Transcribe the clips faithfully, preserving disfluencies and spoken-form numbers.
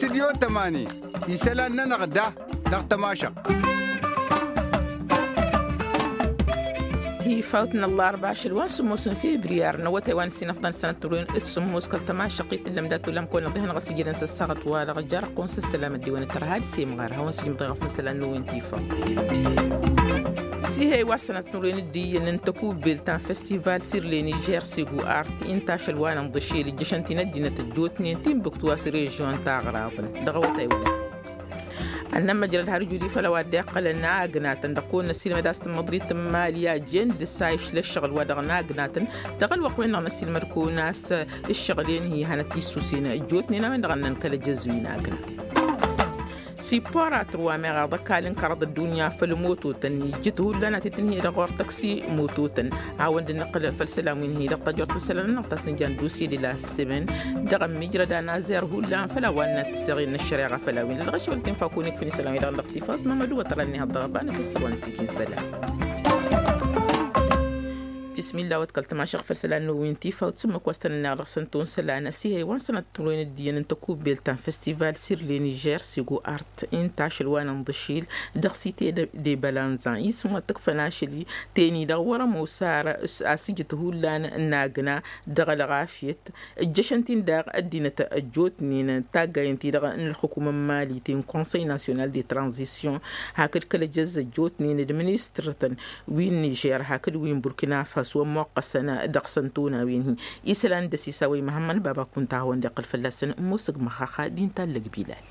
Studyo tămani isălan-nănăɣ da dăɣ-tămašăɣt. Tifawt n-ăllarba ašăl wa n-sǝmmos n-fibriyar n-awătay wa n-ǝssin ăfḍăn sănăt turwen d-sǝmmos kăl-tămašăɣt i-tǝllăm dat-ulăm kăwăn-ăḍḍihăn ɣas ijădăn s-ăssaɣăt-wa-dăɣ. Jarăɣ-kăwăn s-ăssălam ăddiwăn d-tărha ad-simɣar hawăn-sǝjmăḍ i-ɣăf n-isălan n-wi n-tifawt. S-ihăy wa s-sănăt turwen d-iyyăn n-tăkubbelt ta n-festival sirleni jer-segu art inta ašăl wa n-ănḍăšel ǝjjăšăn-t-in ăddinăt ăjjootnen timbuktu wa s-režion taɣraḍăn dăɣ-awătay wa. Ănnămmăjrăd har ijud-i făll-a-wa dd-iqqălăn agnatăn dăɣ-kăwăn-năssilmăd a-s tǝmmăḍrit n-imali a jen dăr-s a išla ǝššăɣǝl-wa-dăɣ n-agnatăn dăɣ-ălwăqq-wen-dăɣ năssilmăd kăwăn-as ǝššăɣǝl-en hi-hanăt-issusen ăjjootnen a-wen-dăɣ ănnăn kăl-ejăzz wi n-agna. Sipporatăr wa meɣ aḍăkal n-kăraḍ ăddunya făll-mototăn ijjǝt hullan ad-t-tǝnhǝyăd ɣur-tăksi mototăn. Hawăn-dd-nǝqqǝl făll-isălan wi n-hi-dăɣ tajort n-isălan-nănăɣ ta s-nǝja n-dusye d-ila s-semen dăɣ-ămmiijrăd anazer hullan făll-a-wa n-ad-t-seɣen n-ăššăreɣa făll-a-wen dăɣ-ašăl tǝnfa kunǝk făll-isălan wi-dăɣ n-dăɣ-tifawt mamădu wa tăra-net dăɣ-ăbanăs ăssăwăn s-ikin isălan. Bismillah wa t-kăl-tămašăɣ făll-isălan n-wi n-tifawt s-ǝmmǝk wa s-tăn-ănneɣ dăɣ-săn tawăn isălan s-ihăy wa n-sănăt turwen d-iyyăn n-tăkubbelt ta n-festival sirleni jer-sego art inta ašăl wa n-inḍǝšil dăɣ-site de balanza isǝm wa t-ǝkfăn ašăl-i teni-dăɣ wăr-ămoos ar a-s ǝjǝt hullan n-agna dăɣ-ălɣafyăt. Ǝjjăšăn-t-in daɣ ăddinăt ăjjootnen taggayăn-ti-dăɣ n-ălxǝkum n-mali ti n-konsăy nasyonal de tranzisyon hakd kăl-ejăzz ăjjootnen d-ministrătăn wi n-nižer hakd wi n-burkina faso ămmoqqăsăn dăɣ-săn tonawen-hi. Isălan dăr-s isawăy măhămmăn baba kunta a hawăn-dd-iqqăl fălla-săn ămoosăg măxxaxa d-intallăg bilal.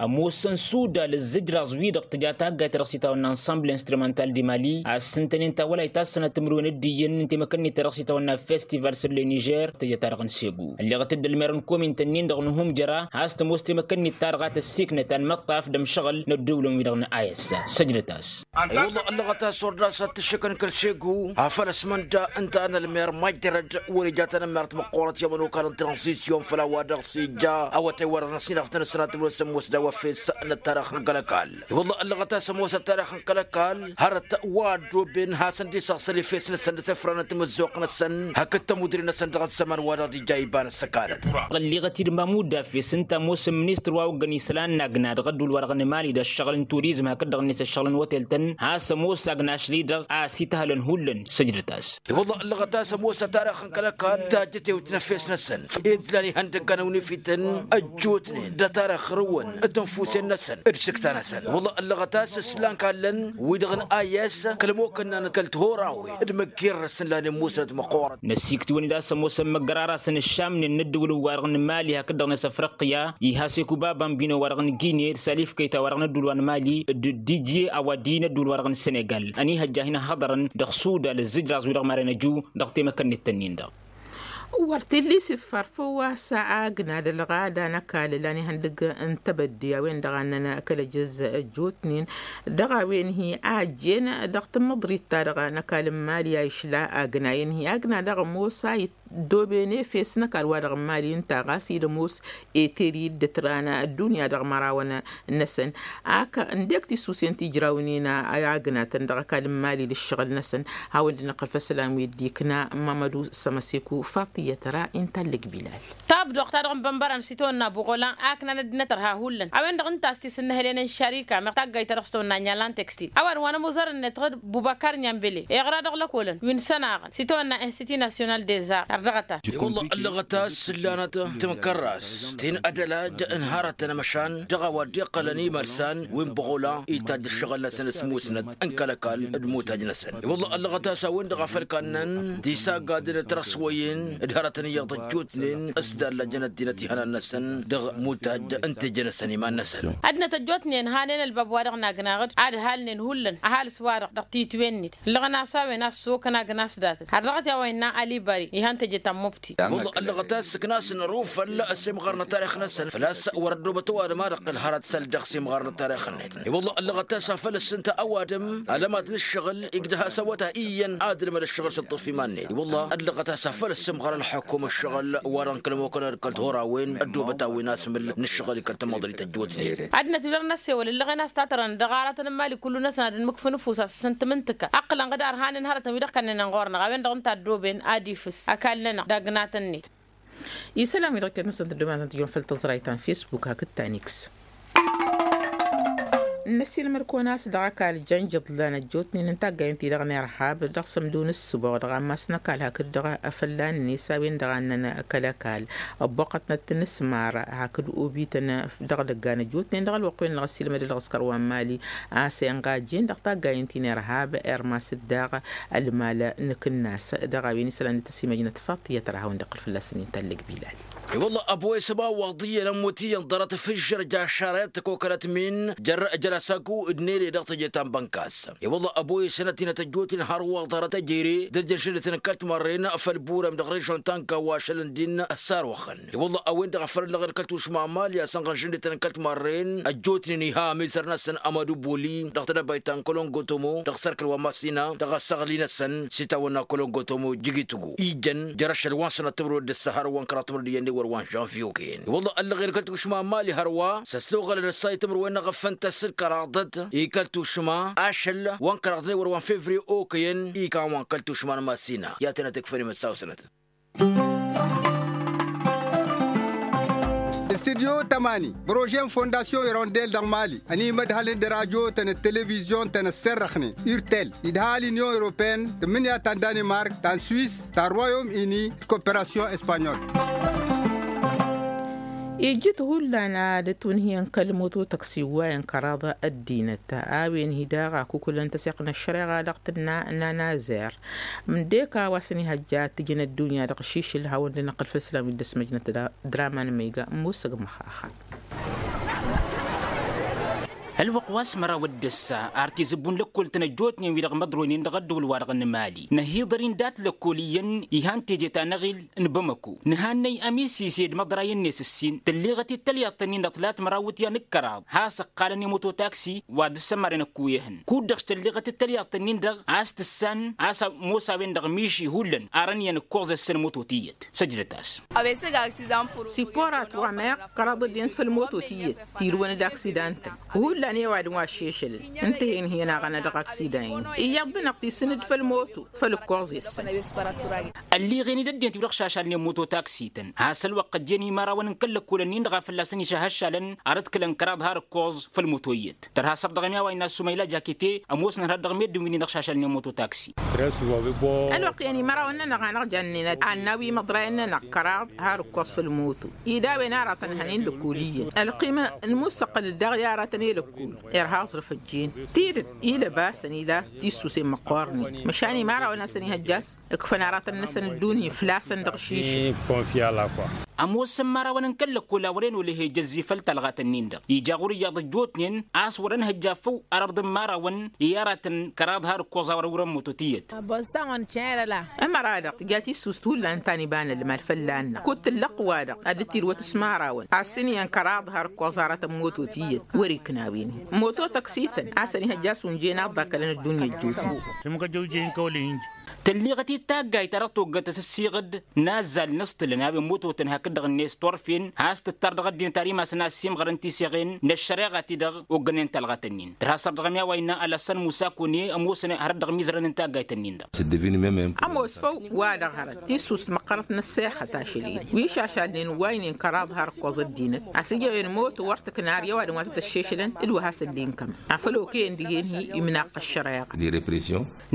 Ămoosăn sudal ǝzzǝjraẓ-wi-dăɣ tǝja taggayt ta dăɣ-s itawănna ănsamble instrumental di mali a ǝssǝntănen tawălay ta s-sănăt timǝrwen d-iyyăn n-temăkănnit ta dăɣ-s itawănna festival săr le nižer tǝja ta dăɣ-n segu ălleɣăt-dd ălmer n-komintăn-in-dăɣ n-humjăra. Has-tămoos temăkănnit ta dăɣ-a tăssiknăt anmăṭṭaf d-ămšăɣǝl n-ădduulăn-wi-dăɣ n-a s-săjdăt-as. I-wălla ăllăɣăt a-s wăr dd-asăt tǝššǝkăn kăl-segu afăl ăsmănda ǝnta a n-ălmer majjărăd wăr-ija tanămmert măqqoorăt i-ămănokal n-transisyon făll-a-wa dăɣ-s ija awătay wăr-ănăsinăɣ tăn-ăsnatămăr s-ămoos d-a-wa fes n-ăttarix n-kăl-ăkall. I-wălla ăllăɣăt a-s ămoos ăttarix n-kăl-ăkall hărăt wa ăddooben hasăn-dd-isăɣsăl efes-năsăn d-asăfra n-timǝzzuɣt-năsăn hakd tămudre-năsăn dăɣ-ăzzăman-wa-dăɣ d-ija iba n-ăssăkanăt. Ɣălliɣăt-dd mamud afes ǝnta ămoos n-ministăr wa oggăn isălan n-agna dăɣ-ădduul-wa-dăɣ n-emali d-ăššăɣǝl n-turizm hakd dăɣ-net ăššăɣǝl n-otel-tăn has-ămoos agna ašli-dăɣ a ăsităhălăn hullan. Săjdăt-as. I-wălla ăllăɣăt a-s ămoos ăttarix n-kăl-ăkall tajjătewt n-efes-năsăn ed lan ihăndăggan ăwnifităn ăjjootnen d-ăttarix ɣur-wăn d-tinfusen-năsăn d-isǝkta-năsăn. I-wălla ăllăɣăt a-s ǝslan kallăn wi-dăɣ n-ayes kăl-ămokănna n-kăl-tihoraw d-măggirrăs n-lanen musnăt măqqoorăt. Năsiktǝwăn-dd a-s ămoosăn măggărarasăn ǝššamnen n-ăddǝwǝl-ǝwwa-dăɣ n-mali hakd-dăɣ n-asăfrăqqǝya. Ihas ekuba bambino-wa-dăɣ n-gine d-salif kăyta wa-dăɣ n-ăddǝwǝl wa n-mali d-didye awadi n-ăddǝwǝl wa-dăɣ n-senegal ănihăjja hin-ăhhăḍărăn dăɣ-suda d-ǝzzǝjraẓ wi-dăɣ maren ăju dăɣ-temăkănnet-tăn-in-dăɣ. Wăr t-illa isǝffar făw-wa s-agna d-ălɣada n-ăkall ălan ihăndăgg n-tebădde a-wen-dăɣ a ǝnnăn kăl-ejăzz ăjjootnen dăɣ-a-wen hi-a ăjjeen dăɣ-tamǝḍrit-ta-dăɣ n-ăkall n-mali a išla agna-en hi-agna dăɣ-ămoos a iddooben efes n-ăkall-wa-dăɣ n-mali ǝnta ɣas ila ămoos eter-i dd-ǝtran ăddunya dăɣ-imărawăn-năsăn. Ak ǝndek tisusen ti ǝjrawnen a agnatăn dăɣ-ăkall n-mali d-ǝššăɣǝl-năsăn. Hawăn-dd-năqqăl făll-isălan wi dd-ikna mamădu sămăseku faṭiyăt ra intallăg bilal. Tabdoɣt-ta-dăɣ n-bănbărăn s-itawănna buɣolan a ǝknan ăddinăt ărha hullan a-wen-dăɣ ǝnta a-s tisǝnnăhălen n-šarika meɣ taggayt-ta-dăɣ s-tawănna n-inyal n-tekstil a-wa dăɣ-wa n-ămuzărăn-net dăɣ-bubăkar n-inyambele iɣra dăɣ-lăkolăn wi n-sănaɣăn s-itawănna institut nasyonal des art ărdăɣăt-as. I-wălla ăllăɣăt a-s ǝllanăt timkărras ti n-ădălaj n-hărătăn măšan dăɣ-a-wa dd-iqqălăn imărsan wi n-buɣula itajj ǝššăɣǝl-năsăn s-musnăt n-kăl-ăkall d-imutaj-năsăn. I-wălla ăllăɣăt a-s a-wen-dăɣ a făl kannăn tisaggadăn tirăswăyen d-hărătăn iyyăḍ ăjjootnen s-dallăjăn ăddinăt ihănan-năsăn dăɣ-mutaj n-teje-năsăn iman-năsăn. Ăddinăt ăjjootnen hanen ălbab-wa-dăɣ n-agnaɣ-dd ad-halnen hullan ăhalǝs-wa-dăɣ dăɣ-titwen-net ǝllăɣăn-as a-wen a-s s-okăn agna s-datăt har dăɣ-t i-a-wa innă alibari ihăn teje ta n-mubti. Wălla ăllăɣăt a-s ǝknasăn ărufăl s-imɣar n-ătarix-năsăn făl-a-s wăr-ăddobăt ăwadǝm a dăɣ-tǝlhărăt săl dăɣ-s imɣar n-ătarix-net. I-wălla ăllăɣăt a-s afăl ǝssǝnta ăwadǝm ălămad n-ǝššăɣǝl igdăh-as awătay iyyăn ad-ǝlmăd ǝššăɣǝl s-ǝṭṭǝf iman-net. I-wălla ăllăɣăt a-s afăl ǝssǝmɣăr Ḥukum ǝššăɣǝl wa-dăɣ n-kăl-ămokănăd kăl-tihorawen ăddoobăt a-wen asǝmǝl n-ǝššăɣǝl i-kăl-tamăḍrit ăjjootnen. Ad-năt-wi-dăɣ n-ăssewăl ǝllăɣen a-s tatărăn dăɣ-aratăn n-imali kullu-năsăn ad-ănmǝkfǝn ăfuss a-s ǝssǝntǝm n-tǝkka ǝqqǝlăn ɣǝd arhanăn hărătăn wi-dăɣ kănnănen ɣur-năɣ a-wen-dăɣ ǝnta ăddooben ad-ifǝs ăkall-nănăɣ d-agnatăn-net. Isălan-wi-dăɣ iket-năsăn tăddoobănăt tijrun făll-tăẓrayt ta n-fisbuk hakd ta n-iks. N-ăssiilmăd-kăwăn a-s dăɣ-ăkall jăn ijǝḍlan ăjjootnen n-taggayen-ti-dăɣ n-irhab dăɣ-sămdu n-ǝssǝboɣ dăɣ-ammas n-ăkall hakd dăɣ-afălla-net a-wen-dăɣ a ǝnnăn kăl-ăkall. Ăbboqqătnăt n-asmar hakd obităn dăɣ-idăggan ăjjootnen dăɣ-ălwăqq-wen-dăɣ ăssiilmăd-dd dăɣ-askăr wa n-mali a-s inɣajjen dăɣ-taggayen-ti n-irhab irmas-dd daɣ ălmal n-akǝnnas. Dăɣ-a-wen isălan d-tăsimăjnăt faḍt i-ad-tărha a hawăn-dd-iqqǝl fălla-săn inta ăllăg bilal. I-wălla ăboyăs ăba waḍiyyăn ămmut iyyăn ḍarăt fǝžžăr jašarăyăt tăkokălăt min jer-jălasaku d-nele dăɣ-teje ta n-bănkas. I-wălla ăboyăs ănăt-inăt ăjjootnen hărwa ḍarăt ăjere d-ăjjăn šăndătăn n-kăl-timarren făll-burem dăɣ-režon ta n-kawa ašălăn din ăssaroxăn. I-wălla a-wen-dăɣ a făl ăllăɣen kăl-tušma n-mali a-s ănɣăn žăndetăn n-kăl-timarren ăjjootnen iha amizăr-năsăn amădu boli dăɣ-tedăbayt ta n-kălongo tomo dăɣ-sărkăl wa n-masina dăɣ-ăssăɣli-năsăn s-itawănna kălongo tomo jigitǝgu ijăn jer-ašăl wa n-sănăt timǝrwen d-ǝssa hărwa n-kăraḍ timǝrwen d-iyyăn d-ewăr wa n-žănviyo kăyăn. I-wălla ăllăɣen kăl-tušma n-mali hărwa s-ăssoɣălăn ǝssa i-timǝrwen n-aɣăffăn tăssǝl kăraḍăt i-kăl-tušma ašăl wa n-kăraḍ n-ewăr wa n-fevriye okăyăn ikan wa n-kăl-tušma n-masina i-ad-tănăt-ǝkfăn imǝssaw-sănăt. Studyo tămani bărožen fondasyon irondel dăɣ-mali ănimădhălăn d-rajo-tăn d-televizyon-tăn ăsserrăxnen urtel idhal inyon europeen tǝmmǝnǝya ta n-danimark ta n-swis ta n-royom ini d-koperasyon espanyol. Ijjǝt hullan ad-ătwǝnhǝyăn kăl-moto tăksi wa inkăraḍ ăddinăt a-wen hi-daɣ a kukulăn tăseɣt n-ăššăreɣa dăɣ-tǝnna n-anazer. Mdeka wa s-ănihăjja tǝjǝn ăddunya dăɣ-ašišǝl hawăn-dd-năqqǝl făll-islam wi dd-ăsmăjnăt draman măyga musăg măxaxa. Ălwăqq wa s-măraw d-ǝssa ar tizǝbbu n-lăkkol-tăn ăjjootnen wi-dăɣ măḍroynen dăɣ-ăddăwǝl-wa-dăɣ n-mali năhiḍăr-in dat-lăkkol iyyăn ihan teje ta n-aɣil n-bamăko nǝhannăy ămisise d-imăḍrayăn-net ǝssin tǝlleɣăt-dd tălyaḍt-ǝnnin-dăɣ tǝlat măraw wǝtyan d-kăraḍ has-ăqqalăn i-mototaksi wa dd-sămmaren ăkkoyăhăn kud-dăɣ s-tălleɣăt-dd tălyaḍt-ǝnnin-dăɣ a-s tǝssan a-s ămoos a-wen-dăɣ miši hullan arăn iyyăn ǝkkoẓ-e-săn moto tiyyăt săjdăt-as. Siporat wa meɣ kăraḍ ăddinăt făll-moto tiyyăt tirǝwăn d-aksidan-tăn hullan i-ăwadǝm wa ăššešălăn ǝnta hen-hi ănaɣănna dăɣ-aksidan-in iyyăḍ-dăɣ tisǝn-dd făll-moto făll-ǝkkoẓ-e-săn. Ălliɣen-dd ăddinăt wi-dăɣ šašalnen moto taksităn has-ălwăqq ăjjeen imărawăn n-kăl-lăkkolăn-in-dăɣ a fălla-săn išăhăššalăn arăt kǝlăn kăraḍ har ǝkkoẓ făll-moto iyyăt tărha săr dăɣ-ămi a-wa innă ăssumayla jakete ămoosnăn har dăɣ-meddǝn wi-nin-dăɣ šašalnen moto taksi. Ălwăqq iyyăn imărawăn-nănăɣ a năɣ-jannen ad-nawi imăḍrayăn-nănăɣ kăraḍ har ǝkkoẓ făll-moto ed a-wen aratăn hănen lăkkol iyyăn ălqima n-imussăqqăl-dd daɣ i-aratăn i-lăkkol irha aẓrǝf ăjjeen tidǝt ilăbasăn ila tisusen măqqoornen măšan imărawăn a-s ănihăjja a-s ǝkfăn aratăn-năsăn ăddunya fălla-săn dăɣ-šišǝl. Ămoosăn imărawăn n-kăl-lăkkol a wăren olăhe jăzzi făll-talɣat-ǝnnin-dăɣ ija ɣur-iyyăḍ ăjjootnen a-s wăr-ănhăjja făw arăḍ n-imărawăn i-aratăn kăraḍ har ǝkkoẓ a wăr-ăwrăn moto tiyyăt. Ămăra-dăɣ tǝja tissust hullan ta n-iba n-ălmal fălla-năɣ kud-tǝllăɣt wa-dăɣ ad-dd-tirǝwăt s-imărawăn a-s ǝnhǝyăn kăraḍ har ǝkkoẓ aratăn moto tiyyăt wăr-ikna a-wen-hi moto tăksităn a-s ănihăjja a-s unjen a ăḍḍakălăn ăddunya ăjjootnen. Tǝlleɣăt-dd taggayt ta dăɣ-toggăt asǝssiɣǝd n-azzal n-aẓtǝlăn a-wen mototăn hakd-dăɣ-net turfen has-tǝttar dăɣ-ăddinăt ar imasăn a ăssiimɣărăn tiseɣen n-ăššăreɣa-ti-dăɣ oggănen talɣat-ǝnnin tărha săr dăɣ-ămi a-wa innă alăssan musa kăwăne ămoosăn hărăt dăɣ-imizărăn n-taggayt-ǝnnin-dăɣ. Ămoos făw wa-dăɣ hărăt tissust măqqărăt n-ăssexăt ašăl-in wi šašalnen waynen kăraḍ har ǝkkoẓ ăddinăt a-s ija a-wen moto wăr tǝkna ar i-ăwadǝm wa tăt-ăššešălăn d-wa hasăn-dd-inkămăn afăl okăyăn dihen-hi imnaqq ăššăreɣa.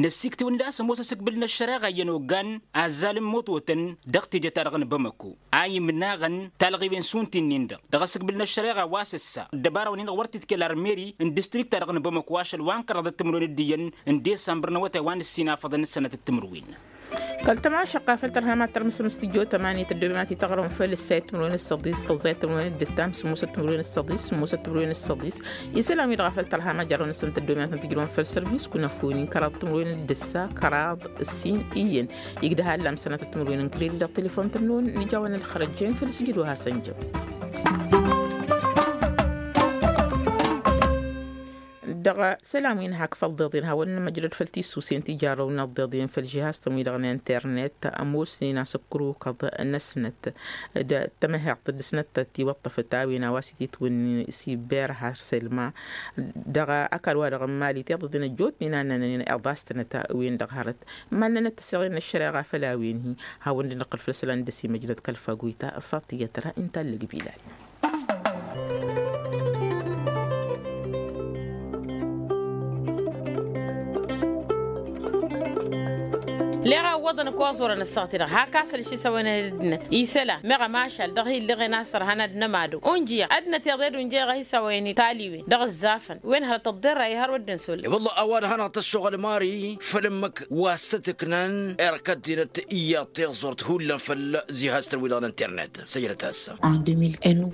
Năssiktǝwăn-dd a-s ămoos asǝkbǝl n-ăššăreɣa iyyăn oggan azzal n-mototăn dăɣ-teje-ta-dăɣ n-bamăko a imnaɣăn talɣiwen šund ti-nin-dăɣ dăɣ-asǝkbǝl n-ăššăreɣa wa s-ǝssa ăddăbara-wăn-in-dăɣ wăr t-id-kăl armeri n-distrikt-ta-dăɣ n-bamăko ašăl wa n-kăraḍăt timǝrwen d-iyyăn n-disămbăr n-awătay wa n-ǝssin afăḍăn d-sănatăt timǝrwen. Kăl-tămašăqqa făll-tărha ma t-tărmǝsăm s-tijjo tămani tăddoobem ad-t-tăɣrăm făll-ǝssayăt timǝrwen d-săḍis tăẓẓayăt timǝrwen d-ǝttam sǝmmosăt timǝrwen d-săḍis sǝmmosăt timǝrwen d-săḍis. Isălan-wi-dăɣ a făl tărha ma jarrăwăn-năsăn tăddoobem ad-tăn-tǝjrăwăn făll-sărvis kunăfuni kăraḍ timǝrwen d-ǝssa kăraḍ ǝssin iyyăn. Igdăh allam sănatăt timǝrwen n-kredi dăɣ-telefon-tăn-năwăn nǝja-wăn ălxărăjjen făll-sǝjǝd wa hasăn-jăm. Dăɣ-isălan wi n-hak făll-iḍeḍen hawăn-nămăjrăd făll-tissusen ti jarrăw n-iḍeḍen făll-žihastăn wi-dăɣ n-internet ămoosnen a-s ǝkrukăḍ-năsnăt d-tămăheḍt d-snăt tiwăṭṭăfăt a-wen a-wa s-ititwǝnnin siber har sălma. Dăɣ-ăkall-wa-dăɣ n-mali tiḍeḍen ăjjootnen a nănănen iḍastănăt-wen-dăɣ hărăt mannănăt tăseɣen n-ăššăreɣa făll-a-wen-hi. Hawăn-dd-năqqǝl făll-isălan d-ăsimăjrăd kăl-faguyta faṭiyăt ra inta ǝllăg bilal. Leɣ a ǝwwăḍăn ăkk oẓorăn ăssaɣt-i-dăɣ hak asăl šisăwănăn ăddinăt isălan meɣ ămašal dăɣ-hi-ǝlleɣen a-s ărhan ad-nămado unjǝyăɣ ăddinăt iḍed unjăyăɣ a hi-săwăyăn i-taliwen dăɣ-ǝzzafăn wen hărăt ăḍḍerra i-hărwa dd-insul. I-wălla a-wa dăɣ-hanăɣ-tăssoɣăl mari făll-ǝmmǝk wa s-tăt-ǝknan erk ăddinăt iyyăḍ tiẓẓurt hullan făll-zihastăn-wi-dăɣ n-internet. Săjdăt-as.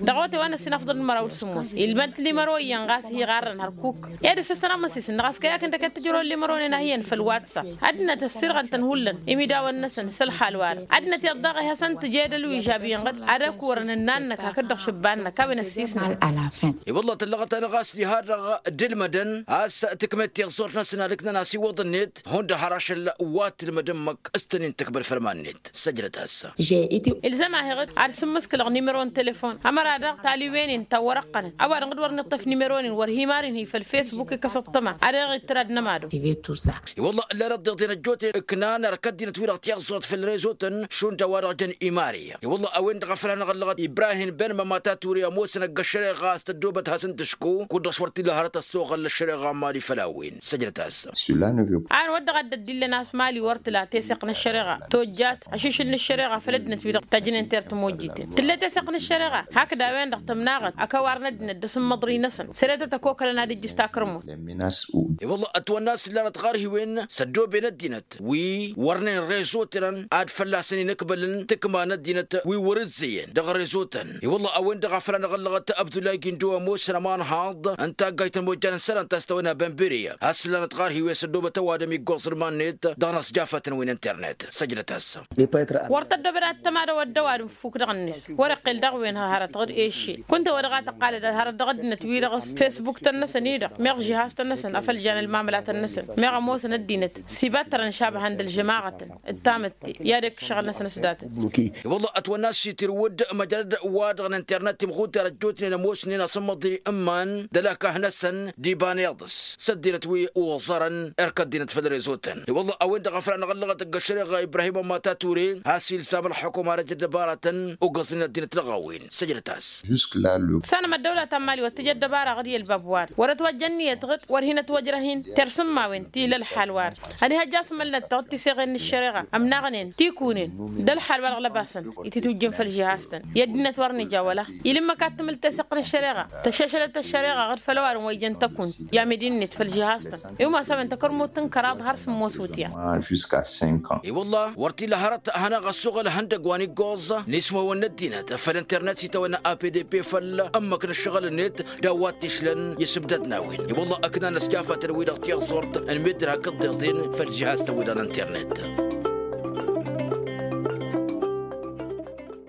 Dăɣ-awătay wa n-ăssinăfḍăl n-măraw d-sǝmmos ilmăd limăro iyyăn ɣas hi-iɣarrăn hărkuk. Ed ăssăstăn amăsisǝn-dăɣ a-s kăy-akǝn d-akăt tǝjrăwăn limăronen a hi-iyyăn făll-watsa ăddinăt ăssirɣăn-tăn hullan imidawăn-năsăn s-ălxal-wa-dăɣ ăddinăt iḍḍaɣ ihăsăn tǝjed ălwižab iyyăn ɣǝd ad-ăkk wărăn ǝnnan-năk hakd-dăɣ šǝbba-năk a-wen ăssisnăn. I-wălla tăllăɣăt-anăɣ a-s diha-dăɣ d-ǝlmădăn a-s tǝkmed tiẓẓurt-năsăn ad-ǝknăn a-s iwwăḍ-net hundăɣ har ašăl wa t-ǝlmăd ǝmmǝk s-tăn-in-tǝkbăl făll-iman-net. Săjdăt-as. Ilzăm-ahi-ɣ-dd ad-sǝmmǝskǝlăɣ nimero n-telefon ămăra-dăɣ taliwen-in tawărăqqănăt a-wa-dăɣ dd-wăr nǝṭṭăf nimero-nin wăr hi-mari-hi făll-fesbuk ikăs ăṭṭăma ad-eɣ ittǝr ad-nămado. I-wălla ǝllan ăḍḍeḍen ăjjootnen ǝknan ărk ăddinăt-wi-dăɣ tiẓẓurt făll-rezotăn šund a-wa-dăɣ jăn imari. I-wălla a-wen-dăɣ a făl hanăɣ-ăllăɣăt ibrahim ben mămata ture ămoosăn ăgg-ăššăreɣa a-s tăddoobăt hasăn-tǝšku kud-dăɣ s-wăr t-illa hărăt ăssoɣăl n-ăššăreɣa n-mali făll-a-wen. Săjdăt-as. A ănwăt dăɣ-a dd-ăddillăn a-s mali wăr tǝla teseɣt n-ăššăreɣa tojjat ašišǝl n-ăššăreɣa făll-ăddinăt-wi-dăɣ tajnen ter-tămojjiten tǝlla teseɣt n-ăššăreɣa. Hakd a-wen-dăɣ tămnaɣăt ăkawar n-ăddinăt d-asǝmmăḍri-năsăn săre-tăt ăkokălăn ad-ǝjjǝs takrǝmut. I-wălla ătwănna a-s ǝllanăt ɣarhiwen s-ăddooben ăddinăt wi wărnen rezotăn ad-fălla-săn inǝkbălăn tǝkma n-ăddinăt wi wăr-ǝzzeyăn dăɣ-rezotăn. I-wălla a-wen-dăɣ a făl anăɣ-ăllăɣăt abdulay gindo ămoosăn ămanhaḍ n-taggayt n-mojjan n-isălan ta s-tăwănna bănberiya a-s ǝllanăt ɣarhiwen s-ăddoobăt ăwadǝm iggoẓ n-iman-net dăɣ-inăsjafătăn wi n-internet. Săjdăt-as. Wăr tăddoobăd ad-tămadăwăd d-ăwadǝm fuk dăɣ-net wăr-iqqel dăɣ-wen hărăt ɣǝd eššel kunta wa dăɣ-a tăqqalăd hărăt dăɣ-ăddinăt-wi-dăɣ s-fesbuk-tăn-năsăn-i-dăɣ meɣ žihaz-tăn-năsăn afăl jan ălmamălatăn-năsăn meɣ ămoosăn ăddinăt s-ibattărăn šabăhăn d-ălžămaɣătăn d-tamǝtte i-ad-ekk ǝššăɣǝl-năsăn s-datăt. I-wălla ătwănna a-s itirwǝd măjrăd wa-dăɣ n-internet timɣuter ăjjootnen ămoosnen asǝmmăḍ i-ǝmman d-ălakah-năsăn d-iban iḍǝs s-ăddinăt wi oẓărăn erk ăddinăt făll-rezotăn. I-wălla a-wen-dăɣ a făl anăɣ-ăllăɣăt ăgg-ăššăreɣa ibrahim ămmata ture has-ilsam ălxukuma ad-ăj ăddăbaratăn ugǝẓnen ăddinăt dăɣ-a-wen. Săjdăt-as. Sanăm ăddăwla ta n-mali wăr tǝj ăddăbara ɣǝd i-ălbab wa-dăɣ wăr-ătwăjja ǝnniyăt ɣǝd wăr hin-ătwăjrăh-in tersǝmmawen ti ila ălxal wa-dăɣ. Ănihăjja asmălnăt-tăɣ d-tiseɣen n-ăššăreɣa ămnaɣnen tikunen d-ălxal wa-dăɣ lăbasăn ititwǝjjǝn făll-žihaz-tăn i-ăddinăt wăr nǝja wăla. Ila ǝmmǝk ad-tǝmǝl teseɣt n-ăššăreɣa tăššăšălăt ăššăreɣa ɣǝd făll-ăwadǝm wa ijăn tăkunt i-amidi-net făll-žihaz-tăn. Iwmas a-wen tăkărmut n-kăraḍ har sǝmmos wutyan. I-wălla wăr t-illa hărăt ad-hanăɣ-ăssuɣǝl ihăndăgg wa n-iggoẓ n-ismawăn n-ăddinăt făll-internet s-itawănna apdp făll-ǝmmǝk n-ǝššăɣǝl-net d-a-wa t-išlăn i-isǝbdăd n-a-wen. I-wălla ǝknan ăsjafătăn wi-dăɣ tiẓẓurt n-meddǝn hakd tiḍeḍen făll-žihaz-tăn wi-dăɣ n-internet.